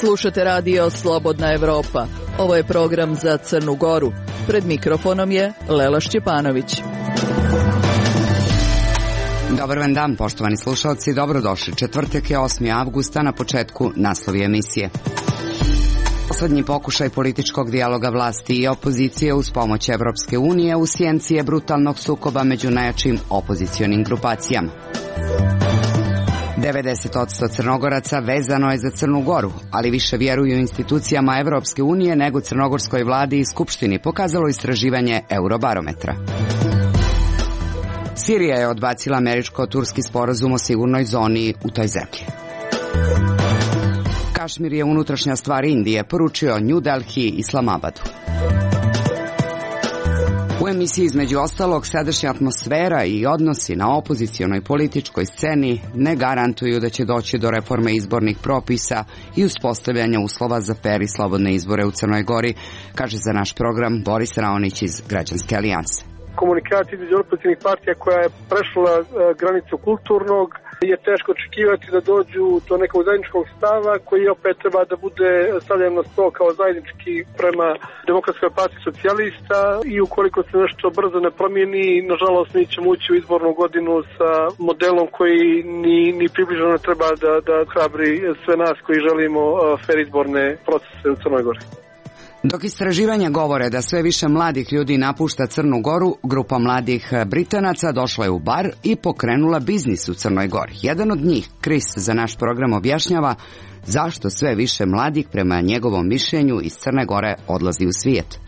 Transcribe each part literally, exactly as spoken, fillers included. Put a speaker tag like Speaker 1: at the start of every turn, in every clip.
Speaker 1: Slušate radio Slobodna Evropa. Ovo je program za Crnu Goru. Pred mikrofonom je Lela Šćepanović.
Speaker 2: Dobar vam dan, poštovani slušalci, dobrodošli. Četvrtak je osmi avgusta, na početku naslovi emisije. Poslednji pokušaj političkog dijaloga vlasti i opozicije uz pomoć Evropske unije u sjenci je brutalnog sukoba među najjačim opozicionim grupacijama. devedeset posto Crnogoraca vezano je za Crnu Goru, ali više vjeruju institucijama Evropske unije nego crnogorskoj vladi i skupštini, pokazalo istraživanje Eurobarometra. Sirija je odbacila američko-turski sporazum o sigurnoj zoni u toj zemlji. Kašmir je unutrašnja stvar Indije, poručio New Delhi Islamabadu. U emisiji između ostalog sadašnja atmosfera i odnosi na opozicionoj političkoj sceni ne garantuju da će doći do reforme izbornih propisa i uspostavljanja uslova za fer i slobodne izbore u Crnoj Gori, kaže za naš program Boris Raonić iz Građanske alijanse.
Speaker 3: Komunikacija između opozicionih partija koja je prešla uh, granicu kulturnog je teško očekivati da dođu do nekog zajedničkog stava koji opet treba da bude stavljen na sto kao zajednički prema Demokratskoj partiji socijalista i ukoliko se nešto brzo ne promijeni, nažalost mi ćemo ući u izbornu godinu sa modelom koji ni, ni približno ne treba da, da hrabri sve nas koji želimo uh, fer izborne procese u Crnoj Gori.
Speaker 2: Dok istraživanja govore da sve više mladih ljudi napušta Crnu Goru, grupa mladih Britanaca došla je u bar i pokrenula biznis u Crnoj Gori. Jedan od njih, Chris, za naš program objašnjava zašto sve više mladih, prema njegovom mišljenju, iz Crne Gore odlazi u svijet.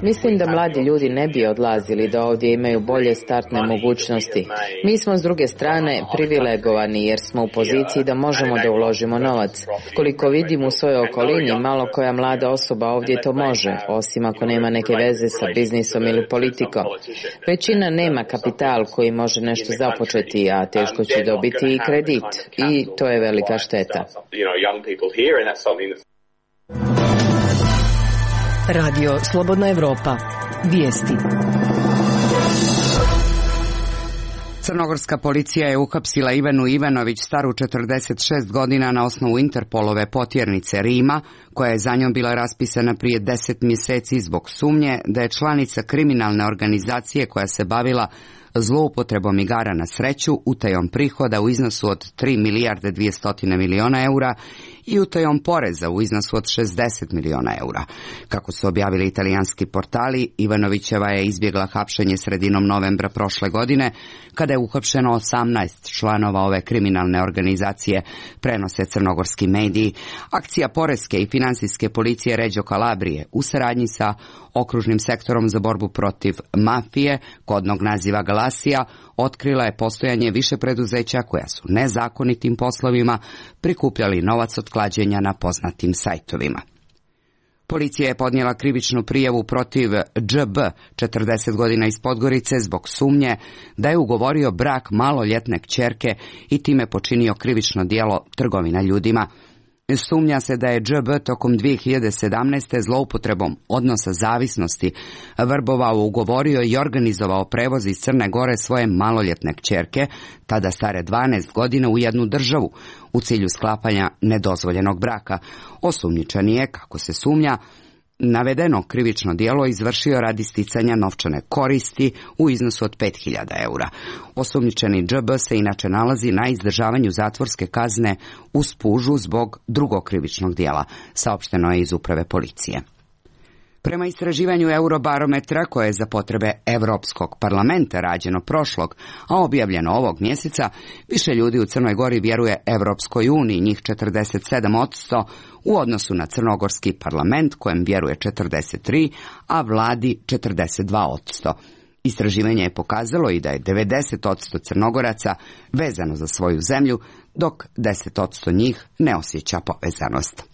Speaker 4: Mislim da mladi ljudi ne bi odlazili, da ovdje imaju bolje startne mogućnosti. Mi smo s druge strane privilegovani jer smo u poziciji da možemo da uložimo novac. Koliko vidim u svojoj okolini, malo koja mlada osoba ovdje to može, osim ako nema neke veze sa biznisom ili politikom. Većina nema kapital koji može nešto započeti, a teško će dobiti i kredit. I to je velika šteta.
Speaker 5: Radio Slobodna Evropa. Vijesti.
Speaker 2: Crnogorska policija je uhapsila Ivanu Ivanović, staru četrdeset šest godina, na osnovu Interpolove potjernice Rima, koja je za njom bila raspisana prije deset mjeseci zbog sumnje da je članica kriminalne organizacije koja se bavila zloupotrebom igara na sreću, utajom prihoda u iznosu od tri milijarde dvjesto miliona eura i utajom poreza u iznosu od šezdeset miliona eura. Kako su objavili italijanski portali, Ivanovićeva je izbjegla hapšenje sredinom novembra prošle godine, kada je uhapšeno osamnaest članova ove kriminalne organizacije, prenose crnogorski mediji. Akcija poreske i finansijske policije Reggio Calabrije u saradnji sa okružnim sektorom za borbu protiv mafije, kodnog naziva Galasija, otkrila je postojanje više preduzeća koja su nezakonitim poslovima prikupljali novac od klađenja na poznatim sajtovima. Policija je podnijela krivičnu prijavu protiv Đ B, četrdeset godina iz Podgorice, zbog sumnje da je ugovorio brak maloljetne kćerke i time počinio krivično djelo trgovina ljudima. Sumnja se da je Đ B tokom dvije hiljade sedamnaeste zloupotrebom odnosa zavisnosti vrbovao, ugovorio i organizovao prevoz iz Crne Gore svoje maloljetne kćerke, tada stare dvanaest godina, u jednu državu u cilju sklapanja nedozvoljenog braka. Osumnjičeni je, kako se sumnja, navedeno krivično djelo izvršio radi sticanja novčane koristi u iznosu od pet hiljada eura. Osumnjičeni Đ B se inače nalazi na izdržavanju zatvorske kazne u Spužu zbog drugog krivičnog djela, saopšteno je iz uprave policije. Prema istraživanju Eurobarometra, koje je za potrebe Evropskog parlamenta rađeno prošlog, a objavljeno ovog mjeseca, više ljudi u Crnoj Gori vjeruje Evropskoj uniji, njih četrdeset sedam posto, u odnosu na crnogorski parlament, kojem vjeruje četrdeset tri, a vladi četrdeset dva posto. Istraživanje je pokazalo i da je devedeset posto Crnogoraca vezano za svoju zemlju, dok deset posto njih ne osjeća povezanost.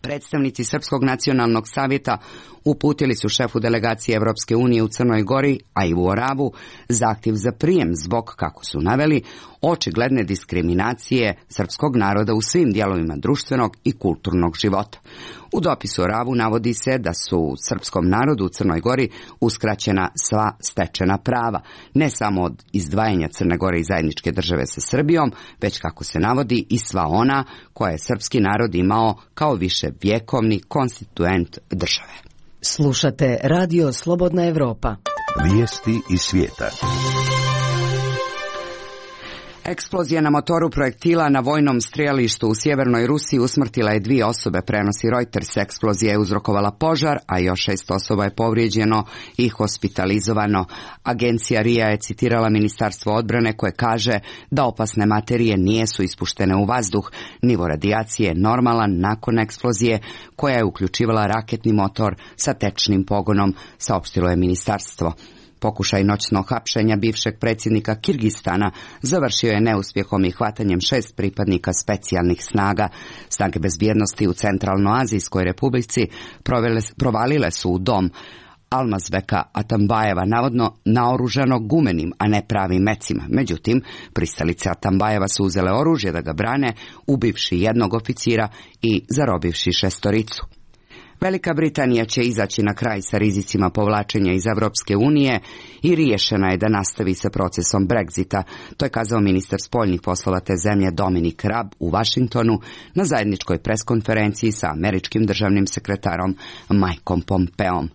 Speaker 2: Predstavnici Srpskog nacionalnog savjeta uputili su šefu delegacije Evropske unije u Crnoj Gori, Aivu Oravu, zahtjev za prijem zbog, kako su naveli, očigledne diskriminacije srpskog naroda u svim dijelovima društvenog i kulturnog života. U dopisu Oravu navodi se da su srpskom narodu u Crnoj Gori uskraćena sva stečena prava, ne samo od izdvajanja Crne Gore i zajedničke države sa Srbijom, već, kako se navodi, i sva ona koja je srpski narod imao kao više vjekovni konstituent države.
Speaker 5: Slušate Radio Slobodna Evropa.
Speaker 6: Vijesti iz svijeta.
Speaker 2: Eksplozija na motoru projektila na vojnom strijelištu u sjevernoj Rusiji usmrtila je dvije osobe, prenosi Reuters. Eksplozija je uzrokovala požar, a još šest osoba je povrijeđeno i hospitalizovano. Agencija R I A je citirala Ministarstvo odbrane koje kaže da opasne materije nijesu ispuštene u vazduh. Nivo radijacije je normalan nakon eksplozije koja je uključivala raketni motor sa tečnim pogonom, saopštilo je ministarstvo. Pokušaj noćnog hapšenja bivšeg predsjednika Kirgistana završio je neuspjehom i hvatanjem šest pripadnika specijalnih snaga. Snage bezbjednosti u Centralnoazijskoj republici provele, provalile su u dom Almazbeka Atambajeva, navodno naoružanog gumenim, a ne pravim mecima. Međutim, pristalice Atambajeva su uzele oružje da ga brane, ubivši jednog oficira i zarobivši šestoricu. Velika Britanija će izaći na kraj sa rizicima povlačenja iz Evropske unije i riješena je da nastavi sa procesom Brexita. To je kazao ministar spoljnih poslova te zemlje Dominic Raab u Washingtonu na zajedničkoj preskonferenciji sa američkim državnim sekretarom Mikeom Pompeom.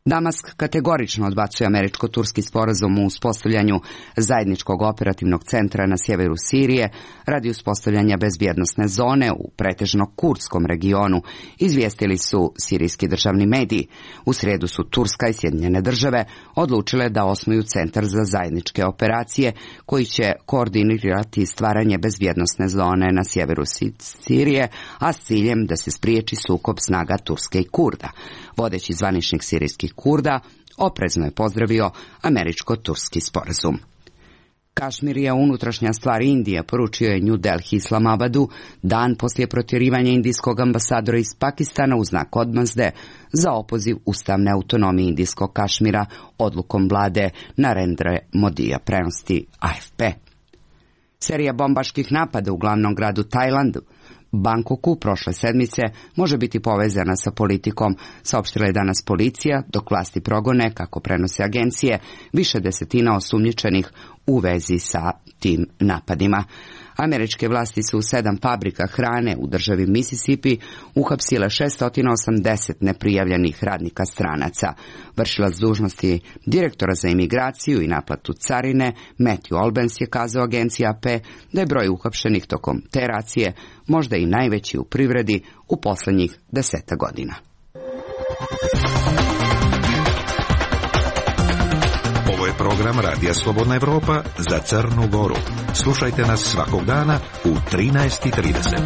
Speaker 2: Damask kategorično odbacuje američko-turski sporazum u uspostavljanju zajedničkog operativnog centra na sjeveru Sirije radi uspostavljanja bezbjednosne zone u pretežno kurdskom regionu, izvijestili su sirijski državni mediji. U srijedu su Turska i Sjedinjene države odlučile da osnuju centar za zajedničke operacije koji će koordinirati stvaranje bezbjednosne zone na sjeveru Sirije, a s ciljem da se spriječi sukob snaga Turske i Kurda. Vodeći zvaničnik sirijskih Kurda oprezno je pozdravio američko-turski sporazum. Kašmir je unutrašnja stvar Indije, poručio je New Delhi Islamabadu dan poslije protjerivanja indijskog ambasadora iz Pakistana u znak odmazde za opoziv ustavne autonomije indijskog Kašmira odlukom vlade Narendra Modija, prenosi A F P. Serija bombaških napada u glavnom gradu Tajlandu, Bangkoku, prošle sedmice može biti povezana sa politikom, saopštila je danas policija, dok vlasti progone, kako prenose agencije, više desetina osumnjičenih u vezi sa tim napadima. Američke vlasti su u sedam fabrika hrane u državi Mississippi uhapsile šesto osamdeset neprijavljenih radnika stranaca. Vršilac dužnosti direktora za imigraciju i naplatu carine Matthew Albence je kazao agenciji A P da je broj uhapšenih tokom te racije možda i najveći u privredi u posljednjih deseta godina.
Speaker 6: Ovo je program Radija Slobodna Evropa za Crnu Goru. Slušajte nas svakog dana u trinaest i trideset.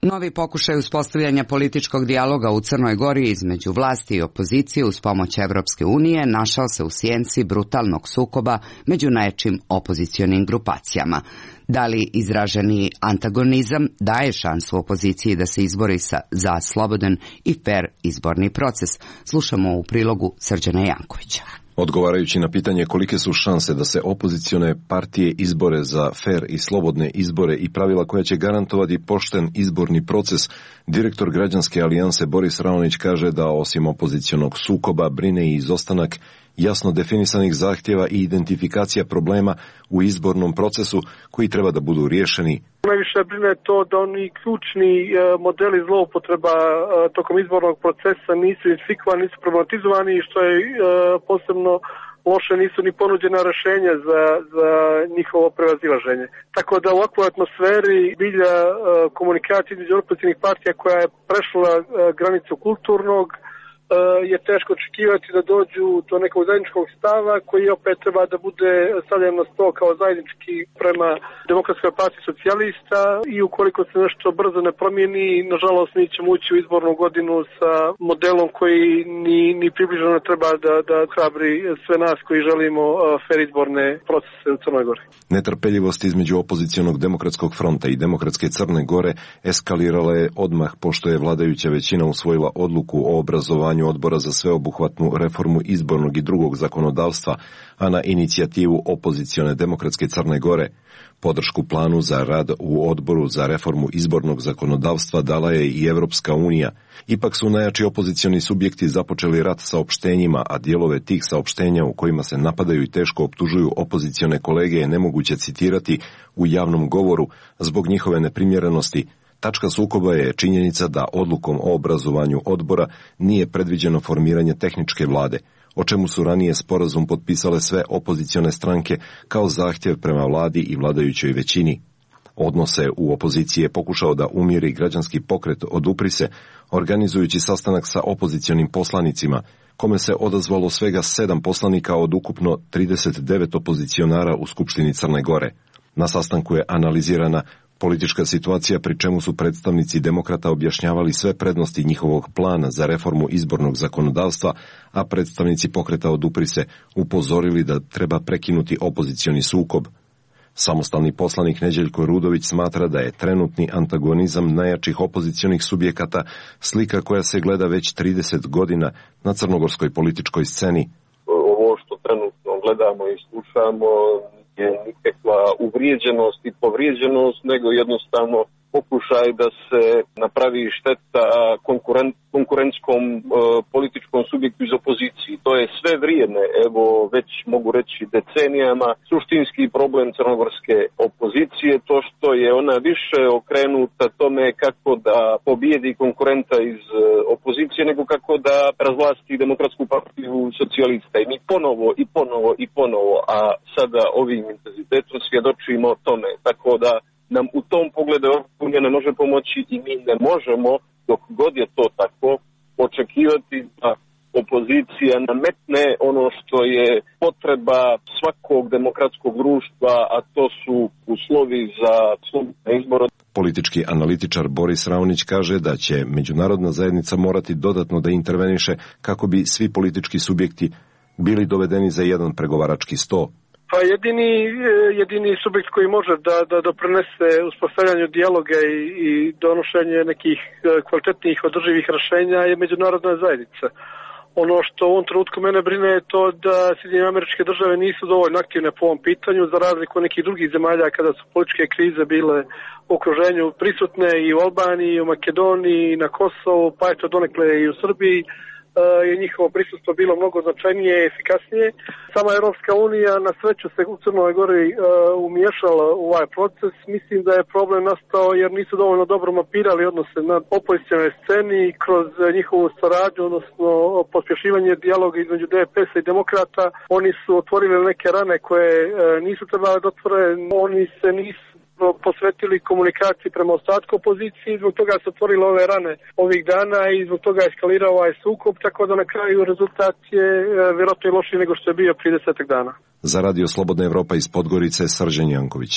Speaker 2: Novi pokušaj uspostavljanja političkog dijaloga u Crnoj Gori između vlasti i opozicije uz pomoć Evropske unije našao se u sjenci brutalnog sukoba među najjačim opozicionim grupacijama. Da li izraženi antagonizam daje šansu opoziciji da se izbori sa, za slobodan i fer izborni proces? Slušamo u prilogu Srđana Jankovića.
Speaker 7: Odgovarajući na pitanje kolike su šanse da se opozicione partije izbore za fer i slobodne izbore i pravila koja će garantovati pošten izborni proces, direktor Građanske alijanse Boris Raonić kaže da osim opozicionog sukoba brine i izostanak jasno definisanih zahtjeva i identifikacija problema u izbornom procesu koji treba da budu riješeni.
Speaker 3: Najviše brine to da oni ključni modeli zloupotreba tokom izbornog procesa nisu identifikovani, nisu problematizovani i što je posebno loše, nisu ni ponuđena rješenja za, za njihovo prevazilaženje. Tako da u ovakvoj atmosferi bilja komunikacija između opozicionih partija koja je prešla granicu kulturnog, je teško očekivati da dođu do nekog zajedničkog stava koji opet treba da bude stavljen na sto kao zajednički prema Demokratskoj partiji socijalista i ukoliko se nešto brzo ne promijeni, nažalost mi ćemo ući u izbornu godinu sa modelom koji ni, ni približno ne treba da, da hrabri sve nas koji želimo fer izborne procese u Crnoj Gori.
Speaker 7: Netrpeljivost između opozicionog Demokratskog fronta i Demokratske Crne Gore eskalirala je odmah pošto je vladajuća većina usvojila odluku o obrazovanju odbora za sveobuhvatnu reformu izbornog i drugog zakonodavstva, a na inicijativu opozicione Demokratske Crne Gore. Podršku planu za rad u odboru za reformu izbornog zakonodavstva dala je i Evropska unija. Ipak su najjači opozicioni subjekti započeli rat saopštenjima, a dijelove tih saopštenja u kojima se napadaju i teško optužuju opozicione kolege je nemoguće citirati u javnom govoru zbog njihove neprimjerenosti. Tačka sukoba je činjenica da odlukom o obrazovanju odbora nije predviđeno formiranje tehničke vlade, o čemu su ranije sporazum potpisale sve opozicione stranke kao zahtjev prema vladi i vladajućoj većini. Odnose u opoziciji je pokušao da umiri građanski pokret Odupri se, organizujući sastanak sa opozicionim poslanicima, kome se odazvalo svega sedam poslanika od ukupno trideset devet opozicionara u Skupštini Crne Gore. Na sastanku je analizirana politička situacija, pri čemu su predstavnici demokrata objašnjavali sve prednosti njihovog plana za reformu izbornog zakonodavstva, a predstavnici pokreta Odupri se upozorili da treba prekinuti opozicioni sukob. Samostalni poslanik Neđeljko Rudović smatra da je trenutni antagonizam najjačih opozicionih subjekata slika koja se gleda već trideset godina na crnogorskoj političkoj sceni.
Speaker 8: Ovo što trenutno gledamo i slušamo je nikakva uvrijeđenost i povrijeđenost, nego jednostavno pokušaj da se napravi šteta konkurent, konkurentskom e, političkom subjektu iz opozicije. To je sve vrijeme, evo već mogu reći decenijama, suštinski problem crnogorske opozicije, to što je ona više okrenuta tome kako da pobijedi konkurenta iz e, opozicije, nego kako da razvlasti Demokratsku partiju socijalista. I mi ponovo i ponovo i ponovo, a sada ovim intenzitetom svjedočimo tome, tako da nam u tom pogledu Unija ne može pomoći i mi ne možemo, dok god je to tako, očekivati da opozicija nametne ono što je potreba svakog demokratskog društva, a to su uslovi za slobodne izbore.
Speaker 7: Politički analitičar Boris Raonić kaže da će međunarodna zajednica morati dodatno da interveniše kako bi svi politički subjekti bili dovedeni za jedan pregovarački sto.
Speaker 3: Pa jedini, jedini subjekt koji može da, da doprinese uspostavljanju dijaloga i, i donošenje nekih kvalitetnih održivih rješenja je međunarodna zajednica. Ono što u ovom trenutku mene brine je to da Sjedinjene Američke Države nisu dovoljno aktivne po ovom pitanju, za razliku od nekih drugih zemalja kada su političke krize bile u okruženju prisutne i u Albaniji, i u Makedoniji, i na Kosovu, pa eto donekle i u Srbiji. Je njihovo prisustvo bilo mnogo značajnije i efikasnije. Sama Europska unija na sreću se u Crnoj Gori uh, umiješala u ovaj proces. Mislim da je problem nastao jer nisu dovoljno dobro mapirali odnose na opozicionoj sceni kroz njihovu saradnju, odnosno pospješivanje dijaloga između D P S-a i demokrata. Oni su otvorili neke rane koje uh, nisu trebali da otvore. Oni se nisu posvetili komunikaciji prema ostatku opozicije, zbog toga su otvorili ove rane ovih dana i zbog toga je eskalirao ovaj sukob, tako da na kraju rezultat je vjerojatno i lošiji nego što je bio prije desetak dana.
Speaker 7: Za Radio Slobodna Evropa iz Podgorice, Srđan Janković.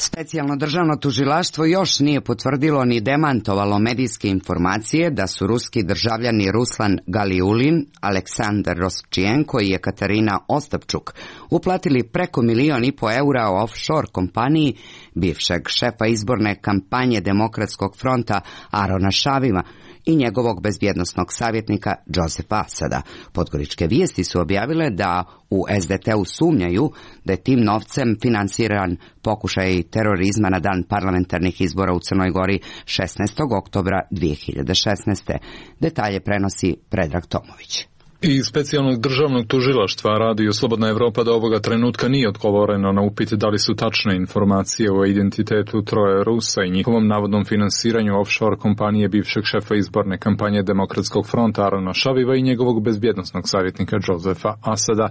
Speaker 2: Specijalno državno tužilaštvo još nije potvrdilo ni demantovalo medijske informacije da su ruski državljani Ruslan Galiulin, Aleksandar Roščijenko i Ekaterina Ostapčuk uplatili preko milijon i po eura o offshore kompaniji bivšeg šefa izborne kampanje Demokratskog fronta Arona Šavima i njegovog bezbjednosnog savjetnika Josefa Asada. Podgoričke vijesti su objavile da u S D T-u sumnjaju da je tim novcem finansiran pokušaj terorizma na dan parlamentarnih izbora u Crnoj Gori šesnaestog oktobra dvije hiljade šesnaeste. Detalje prenosi Predrag Tomović.
Speaker 9: I specijalnog državnog tužilaštva Radio Slobodna Evropa do ovoga trenutka nije odgovoreno na upit da li su tačne informacije o identitetu troje Rusa i njihovom navodnom finansiranju offshore kompanije bivšeg šefa izborne kampanje Demokratskog fronta Arona Šaviva i njegovog bezbjednosnog savjetnika Josefa Asada.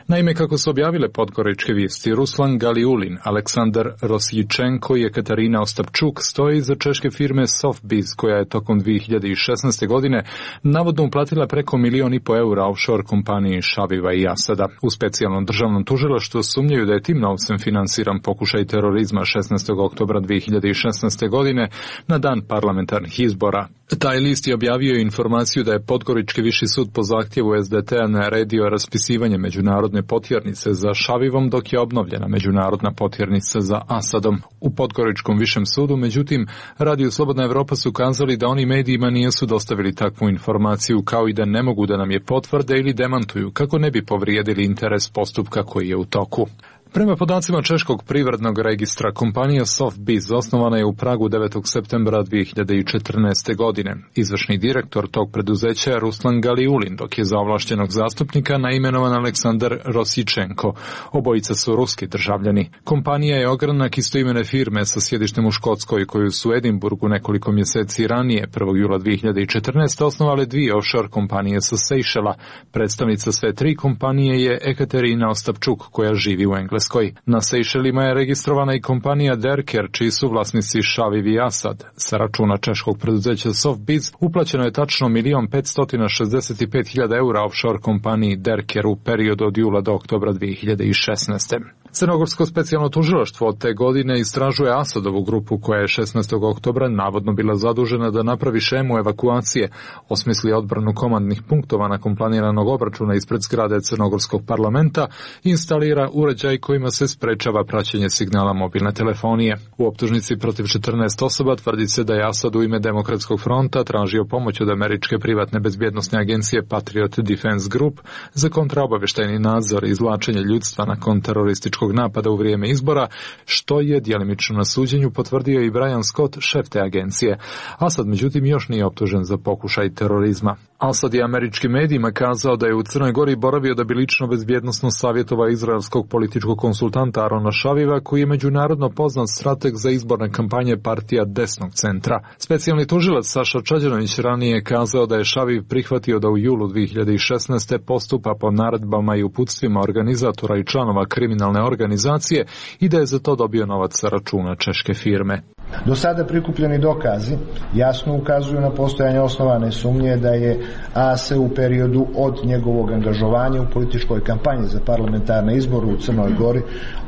Speaker 9: Naime, kako su objavile podgoričke vijesti, Ruslan Galiulin, Aleksandar Rosjičenko i Katarina Ostapčuk stoji iza češke firme Softbiz, koja je tokom dvije hiljade šesnaeste. godine navodno uplatila preko milion i po eura offshore kompaniji Šaviva i Asada. U specijalnom državnom tužilaštvu sumnjaju da je tim novcem finansiran pokušaj terorizma šesnaestog oktobra dvije hiljade šesnaeste. godine na dan parlamentarnih izbora. Taj list je objavio informaciju da je Podgorički viši sud po zahtjevu es de te-a naredio raspisivanje međunarodne potjernice za Šavivom, dok je obnovljena međunarodna potjernica za Asadom. U Podgoričkom višem sudu, međutim, Radio Slobodna Evropa su kazali da oni medijima nisu dostavili takvu informaciju, kao i da ne mogu da nam je potvrde ili demantuju, kako ne bi povrijedili interes postupka koji je u toku. Prema podacima Češkog privrednog registra, kompanija Softbiz osnovana je u Pragu devetog septembra dvije hiljade četrnaeste. godine. Izvršni direktor tog preduzeća je Ruslan Galiulin, dok je za ovlašćenog zastupnika naimenovan Aleksandar Rosjičenko. Obojica su ruski državljani. Kompanija je ogranak istoimene firme sa sjedištem u Škotskoj, koju su u Edinburgu nekoliko mjeseci ranije, prvog jula dvije hiljade četrnaeste. osnovale dvije offshore kompanije sa Sejšela. Predstavnica sve tri kompanije je Ekaterina Ostapčuk, koja živi u Engleskoj. Na Sejšelima je registrovana i kompanija Derker, čiji su vlasnici Šaviv i Asad. Sa računa češkog preduzeća Softbiz uplaćeno je tačno milion petsto šezdeset pet hiljada eura offshore kompaniji Derker u periodu od jula do oktobra dvije hiljade šesnaeste. Crnogorsko specijalno tužilaštvo od te godine istražuje Asadovu grupu, koja je šesnaestog oktobra navodno bila zadužena da napravi šemu evakuacije, osmisli odbranu komandnih punktova nakon planiranog obračuna ispred zgrade Crnogorskog parlamenta i instalira uređaj kojima se sprečava praćenje signala mobilne telefonije. U optužnici protiv četrnaest osoba tvrdi se da je Asad u ime Demokratskog fronta tražio pomoć od američke privatne bezbjednosne agencije Patriot Defense Group za kontraobavještajni nadzor i izvlačenje ljudstva nakon terorističkog napada u vrijeme izbora, što je djelimično na suđenju potvrdio i Brian Scott, šef te agencije. Asad međutim još nije optužen za pokušaj terorizma. Asad je američkim medijima kazao da je u Crnoj Gori boravio da bi lično bezbjednosno savjetovao izraelskog političkog konsultanta Arona Šaviva, koji je međunarodno poznat strateg za izborne kampanje partija desnog centra. Specijalni tužilac Saša Čađanović ranije je kazao da je Šaviv prihvatio da u julu dvije hiljade šesnaeste. postupa po naredbama i uputstvima organizatora i članova kriminalne organizacije i da je za to dobio novac sa računa češke firme.
Speaker 10: Do sada prikupljeni dokazi jasno ukazuju na postojanje osnovane sumnje da je A S u periodu od njegovog angažovanja u političkoj kampanji za parlamentarne izbore u Crnoj Gori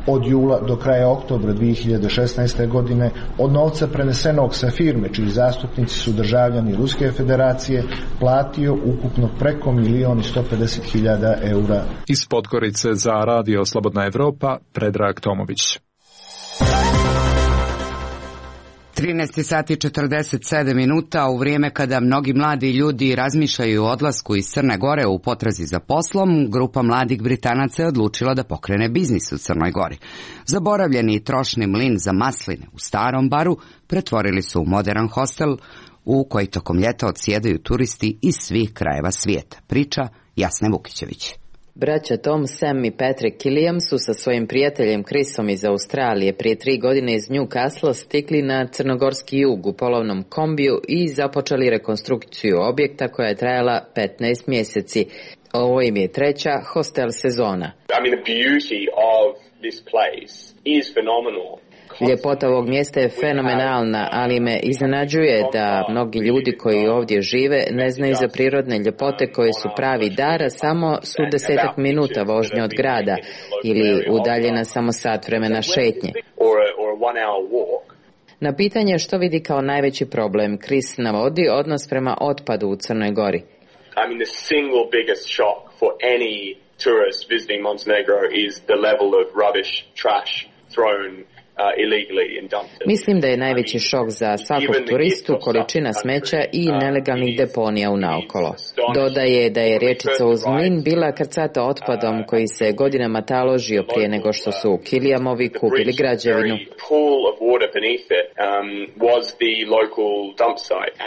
Speaker 10: od jula do kraja oktobra dvije hiljade šesnaeste. godine od novca prenesenog sa firme, čiji zastupnici su državljani Ruske federacije, platio ukupno preko milion i sto pedeset hiljada eura.
Speaker 9: Iz Podgorice za Radio Slobodna Evropa, Predrag Tomović.
Speaker 2: trinaest sati četrdeset sedam minuta, u vrijeme kada mnogi mladi ljudi razmišljaju o odlasku iz Crne Gore u potrazi za poslom, grupa mladih Britanaca je odlučila da pokrene biznis u Crnoj Gori. Zaboravljeni trošni mlin za masline u starom baru pretvorili su u modern hostel u koji tokom ljeta odsjedaju turisti iz svih krajeva svijeta. Priča Jasne Vukićević.
Speaker 4: Braća Tom, Sam i Patrick Killiam su sa svojim prijateljem Chrisom iz Australije prije tri godine iz Newcastle stigli na crnogorski jug u polovnom kombiju i započeli rekonstrukciju objekta koja je trajala petnaest mjeseci. Ovo im je treća hostel sezona.
Speaker 11: I mean, the beauty of this place is phenomenal.
Speaker 4: Ljepota ovog mjesta je fenomenalna, ali me iznenađuje da mnogi ljudi koji ovdje žive ne znaju za prirodne ljepote koje su pravi dar, a samo su desetak minuta vožnje od grada ili udaljena samo sat vremena šetnje. Na pitanje što vidi kao najveći problem, Chris navodi odnos prema otpadu u Crnoj Gori.
Speaker 11: I mean, the single biggest shock for any tourist visiting Montenegro is the level of rubbish, trash thrown
Speaker 4: Mislim da je najveći šok za svakog turistu količina smeća i nelegalnih deponija u naokolo. Dodaje da je riječica uz mlin bila krcata otpadom koji se godinama taložio prije nego što su Kiliamovi kupili građevinu.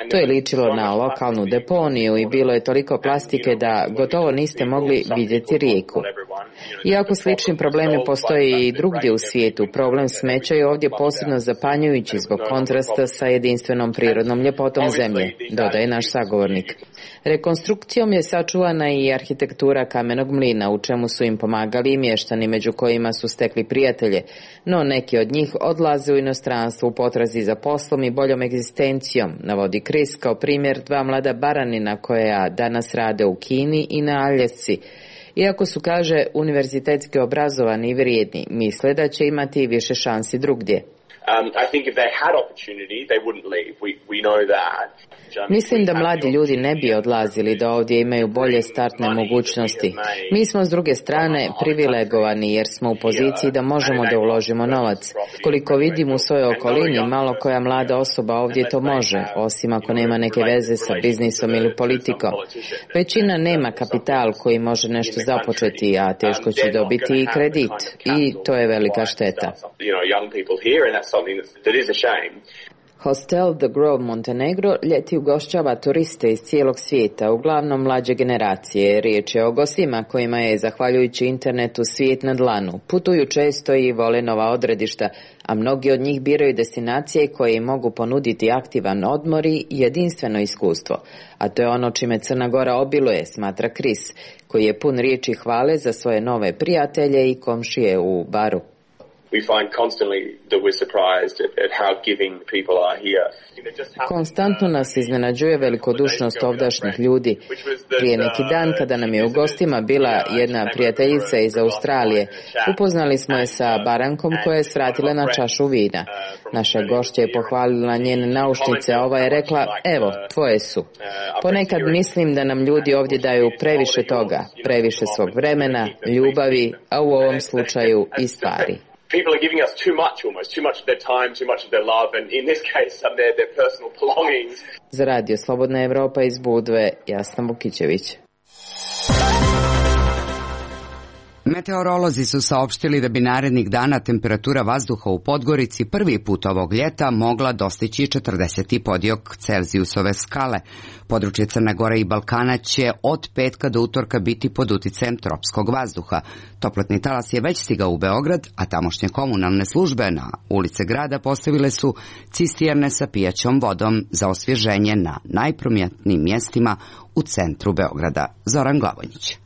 Speaker 4: To je ličilo na lokalnu deponiju i bilo je toliko plastike da gotovo niste mogli vidjeti rijeku. Iako slični problemi postoje i drugdje u svijetu, problem smeća je ovdje posebno zapanjujući zbog kontrasta sa jedinstvenom prirodnom ljepotom zemlje, dodaje naš sagovornik. Rekonstrukcijom je sačuvana i arhitektura kamenog mlina, u čemu su im pomagali i mještani, među kojima su stekli prijatelje, no neki od njih odlaze u inostranstvo u potrazi za poslom i boljom egzistencijom, navodi Chris kao primjer dva mlada baranina koja danas rade u Kini i na Aljasci. Iako su, kaže, univerzitetski obrazovani i vrijedni, misle da će imati više šansi drugdje.
Speaker 11: Um, I think if they had opportunity, they wouldn't leave. We, we know that.
Speaker 4: Mislim da mladi ljudi ne bi odlazili, da ovdje imaju bolje startne mogućnosti. Mi smo s druge strane privilegovani jer smo u poziciji da možemo da uložimo novac. Koliko vidim u svojoj okolini, malo koja mlada osoba ovdje to može, osim ako nema neke veze sa biznisom ili politikom. Većina nema kapital koji može nešto započeti, a teško će dobiti i kredit. I to je velika šteta. Hostel The Grove Montenegro ljeti ugošćava turiste iz cijelog svijeta, uglavnom mlađe generacije. Riječ je o gostima kojima je, zahvaljujući internetu, svijet na dlanu. Putuju često i vole nova odredišta, a mnogi od njih biraju destinacije koje im mogu ponuditi aktivan odmor i jedinstveno iskustvo. A to je ono čime Crna Gora obiluje, smatra Chris, koji je pun riječi hvale za svoje nove prijatelje i komšije u Baru.
Speaker 11: We find constantly that we're surprised at, at how giving people are here.
Speaker 4: Konstantno nas iznenađuje velikodušnost ovdašnjih ljudi. Prije neki dan, kada nam je u gostima bila jedna prijateljica iz Australije, upoznali smo je sa barankom koja je svratila na čašu vina. Naša gošća je pohvalila njene naušnice, a ova je rekla, evo, tvoje su. Ponekad mislim da nam ljudi ovdje daju previše toga, previše svog vremena, ljubavi, a u ovom slučaju i stvari.
Speaker 11: People are giving us too much almost, too much of their time, too much of their love, and in this case, some their, their personal belongings.
Speaker 4: Za Radio Slobodna Evropa iz Budve, Jasna Vukićević.
Speaker 2: Meteorolozi su saopštili da bi narednih dana temperatura vazduha u Podgorici prvi put ovog ljeta mogla dostići četrdeset pod Celzijusove skale. Područje Crne Gore i Balkana će od petka do utorka biti pod uticajem tropskog vazduha. Toplotni talas je već stigao u Beograd, a tamošnje komunalne službe na ulice grada postavile su cisterne sa pijaćom vodom za osvježenje na najprominentnijim mjestima u centru Beograda. Zoran Glavonjić.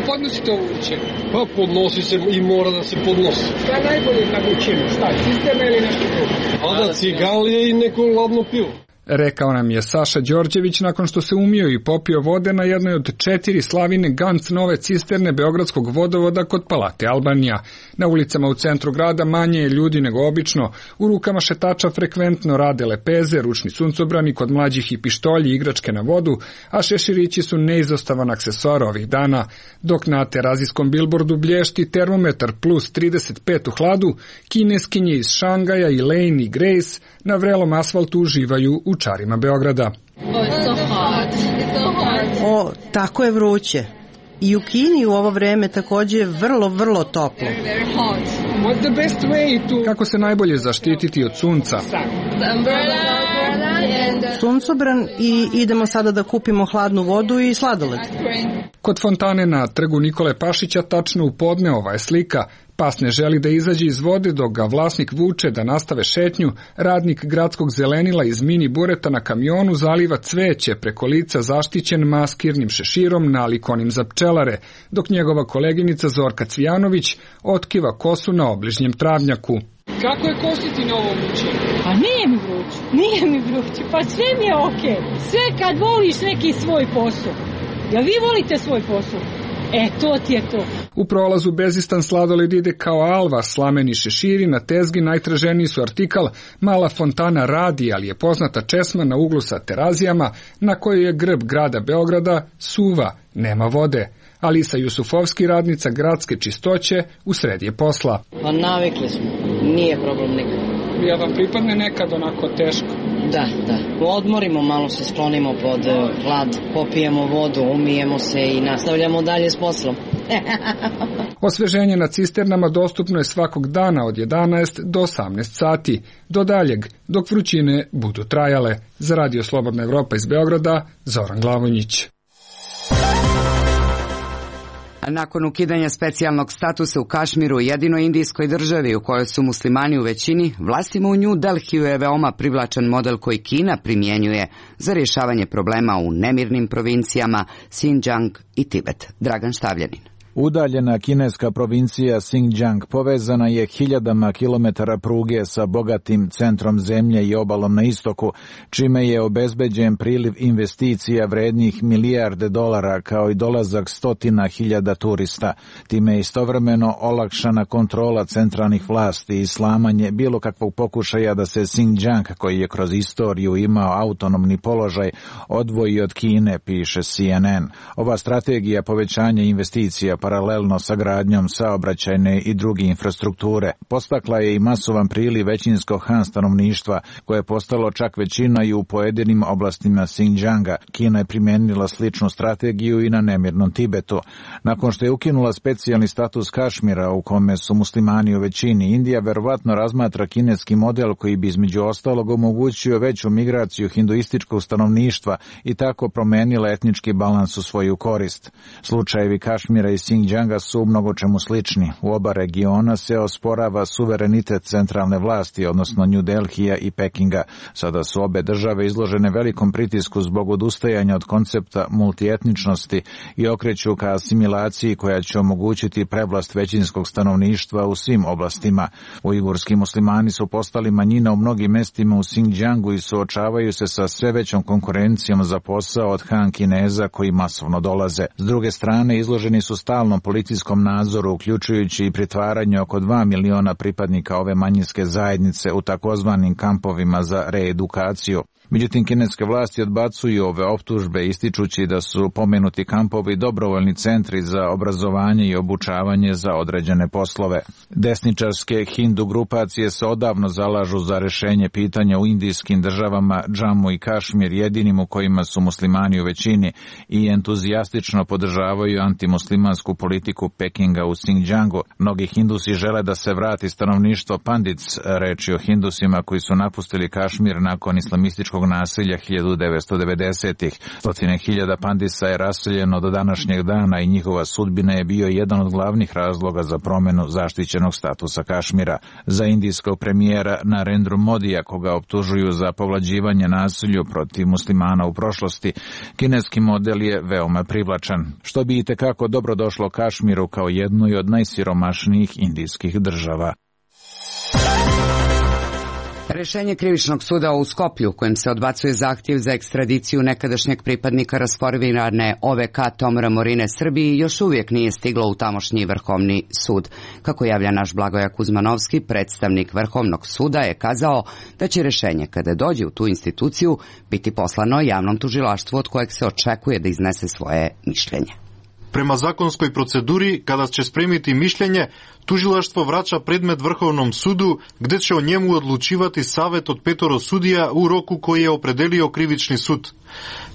Speaker 12: Podnosite ovo učenje? Pa podnosi se i mora da se podnosi. Šta je najbolje kad učimo? Šta, cisterna ili nešto drugo? A da cigalije i neko ladno pivo.
Speaker 9: Rekao nam je Saša Đorđević nakon što se umio i popio vode na jednoj od četiri slavine Ganz nove cisterne Beogradskog vodovoda kod Palate Albanija. Na ulicama u centru grada manje je ljudi nego obično, u rukama šetača frekventno rade lepeze, ručni suncobrani, kod mlađih i pištolji, igračke na vodu, a šeširići su neizostavan aksesoar ovih dana. Dok na terazijskom bilbordu blješti termometar plus trideset pet u hladu, kineskinje iz Šangaja i Lane i Grace na vrelom asfaltu uživaju u čarima Beograda.
Speaker 13: O, tako je vruće. I u Kini u ovo vreme također je vrlo, vrlo toplo.
Speaker 9: Kako se najbolje zaštititi od sunca?
Speaker 13: Suncobran i idemo sada da kupimo hladnu vodu i sladoled.
Speaker 9: Kod fontane na trgu Nikole Pašića tačno u podne ova je slika. Pas ne želi da izađe iz vode dok ga vlasnik vuče da nastave šetnju, radnik gradskog zelenila iz mini bureta na kamionu zaliva cveće preko lica zaštićen maskirnim šeširom nalik onim za pčelare, dok njegova koleginica Zorka Cvijanović otkiva kosu na obližnjem travnjaku.
Speaker 12: Kako je kositi na ovom učenju?
Speaker 14: Pa nije mi vruće, nije mi vruće, pa sve mi je okej. Okay. Sve kad voliš neki svoj posao. Jel vi volite svoj posao? E, to ti je to.
Speaker 9: U prolazu Bezistan sladoled ide kao alva, slameni šeširi, na tezgi najtraženiji su artikal, mala fontana radi, ali je poznata česma na uglu sa terazijama, na kojoj je grb grada Beograda, suva, nema vode.
Speaker 15: Alisa Jusufovski, radnica gradske čistoće, u sred je posla.
Speaker 16: Pa navikli smo, nije problem nikad.
Speaker 15: Ja vam pripadne nekad onako teško?
Speaker 16: Da, da. Odmorimo, malo se sklonimo pod hlad, popijemo vodu, umijemo se i nastavljamo dalje s poslom.
Speaker 15: Osveženje na cisternama dostupno je svakog dana od jedanaest do osamnaest sati, do daljeg, dok vrućine budu trajale. Za Radio Slobodna Evropa iz Beograda, Zoran Glavonjić.
Speaker 2: Nakon ukidanja specijalnog statusa u Kašmiru, jedinoj indijskoj državi u kojoj su muslimani u većini, vlastima u New Delhiju je veoma privlačan model koji Kina primjenjuje za rješavanje problema u nemirnim provincijama Xinjiang i Tibet. Dragan Štavljanin.
Speaker 17: Udaljena kineska provincija Xinjiang povezana je hiljadama kilometara pruge sa bogatim centrom zemlje i obalom na istoku, čime je obezbeđen priliv investicija vrednih milijarde dolara kao i dolazak stotina hiljada turista. Time je istovremeno olakšana kontrola centralnih vlasti i slamanje bilo kakvog pokušaja da se Xinjiang, koji je kroz istoriju imao autonomni položaj, odvoji od Kine, piše C N N. Ova strategija povećanja investicija paralelno sa gradnjom saobraćajne i druge infrastrukture postakla je i masovan priliv većinskog Han stanovništva, koje je postalo čak većina i u pojedinim oblastima Xinjianga. Kina je primijenila sličnu strategiju i na nemirnom Tibetu. Nakon što je ukinula specijalni status Kašmira u kome su muslimani u većini, Indija verovatno razmatra kineski model koji bi između ostalog omogućio veću migraciju hinduističkog stanovništva i tako promenila etnički balans u svoju korist. Slučajevi Kašmira i Xinjianga su u mnogo čemu slični. U oba regiona se osporava suverenitet centralne vlasti, odnosno New Delhija i Pekinga. Sada su obe države izložene velikom pritisku zbog odustajanja od koncepta multietničnosti i okreću ka asimilaciji koja će omogućiti prevlast većinskog stanovništva u svim oblastima. Ujgurski muslimani su postali manjina u mnogim mestima u Xinjiangu i suočavaju se sa sve većom konkurencijom za posao od Han Kineza koji masovno dolaze. S druge strane, izloženi su stalnom policijskom nadzoru, uključujući i pritvaranje oko dva miliona pripadnika ove manjinske zajednice u takozvanim kampovima za reedukaciju. Međutim, kineske vlasti odbacuju ove optužbe, ističući da su pomenuti kampovi dobrovoljni centri za obrazovanje i obučavanje za određene poslove. Desničarske hindu grupacije se odavno zalažu za rešenje pitanja u indijskim državama Džamu i Kašmir, jedinim u kojima su muslimani u većini, i entuzijastično podržavaju antimuslimansku politiku Pekinga u Xinjiangu. Mnogi hindusi žele da se vrati stanovništvo Pandits, reči o hindusima koji su napustili Kašmir nakon islamističkog nasilja hiljadu devetsto devedesetih. Stotine hiljada Pandisa je raseljeno do današnjeg dana i njihova sudbina je bio jedan od glavnih razloga za promjenu zaštićenog statusa Kašmira. Za indijskog premijera Narendru Modija, koga optužuju za povlađivanje nasilju protiv muslimana u prošlosti, kineski model je veoma privlačan, što bi itekako dobro došlo Kašmiru kao jednoj od najsiromašnijih indijskih država.
Speaker 2: Rešenje krivičnog suda u Skoplju, kojim se odbacuje zahtjev za ekstradiciju nekadašnjeg pripadnika rasformirane O V K Tomora Morine Srbiji, još uvijek nije stiglo u tamošnji Vrhovni sud. Kako javlja naš Blagoja Kuzmanovski, predstavnik Vrhovnog suda je kazao da će rešenje, kada dođe u tu instituciju, biti poslano javnom tužilaštvu od kojeg se očekuje da iznese svoje mišljenje.
Speaker 18: Prema zakonskoj proceduri, kada će spremiti mišljenje, tužilaštvo vraća predmet Vrhovnom sudu, gde će o njemu odlučivati savet od petoro sudija u roku koji je opredelio krivični sud.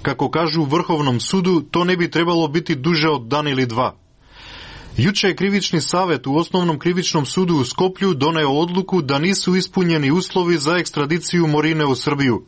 Speaker 18: Kako kažu u Vrhovnom sudu, to ne bi trebalo biti duže od dan ili dva. Juče je krivični savet u Osnovnom krivičnom sudu u Skoplju doneo odluku da nisu ispunjeni uslovi za ekstradiciju Morine u Srbiju.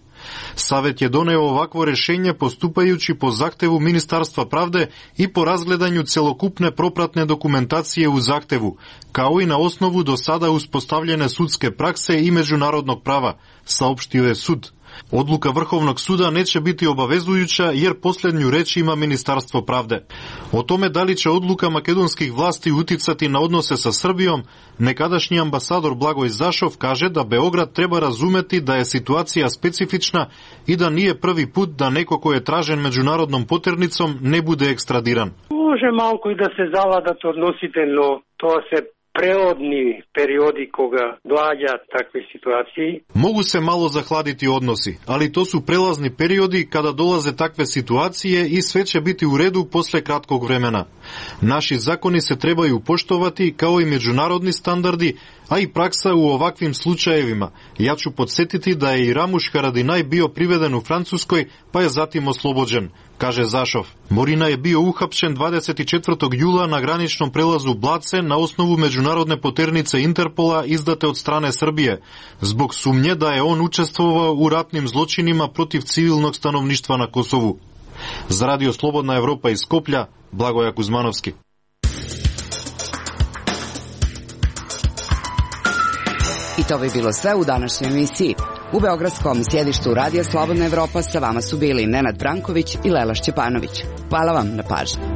Speaker 18: Savet je doneo ovakvo rešenje postupajući po zahtevu Ministarstva pravde i po razgledanju celokupne propratne dokumentacije u zahtevu, kao i na osnovu do sada uspostavljene sudske prakse i međunarodnog prava, saopštio je sud. Odluka Vrhovnog suda neće biti obavezujuća jer posljednju reč ima Ministarstvo pravde. O tome da li će odluka makedonskih vlasti uticati na odnose sa Srbijom, nekadašnji ambasador Blagoj Zašov kaže da Beograd treba razumeti da je situacija specifična i da nije prvi put da neko ko je tražen međunarodnom poternicom ne bude ekstradiran.
Speaker 19: Može malko i da se zavladate odnosite, no to se prelodni periodi koga vlađa takve situaciji.
Speaker 18: Mogu se malo zahladiti odnosi, ali to su prelazni periodi kada dolaze takve situacije i sve će biti u redu posle kratkog vremena. Naši zakoni se trebaju poštovati kao i međunarodni standardi, a i praksa u ovakvim slučajevima. Ja ću podsjetiti da je i Ramuš Haradinaj bio priveden u Francuskoj, pa je zatim oslobođen, kaže Zašov. Morina je bio uhapšen dvadeset četvrtog jula na graničnom prelazu Blace na osnovu međunarodne poternice Interpola izdate od strane Srbije, zbog sumnje da je on učestvovao u ratnim zločinima protiv civilnog stanovništva na Kosovu. Za Radio Slobodna Evropa iz Skoplja, Blagoja Kuzmanovski.
Speaker 2: I to bi bilo sve u današnjoj emisiji. U beogradskom sjedištu Radija Slobodna Evropa sa vama su bili Nenad Branković i Lela Šćepanović. Hvala vam na pažnji.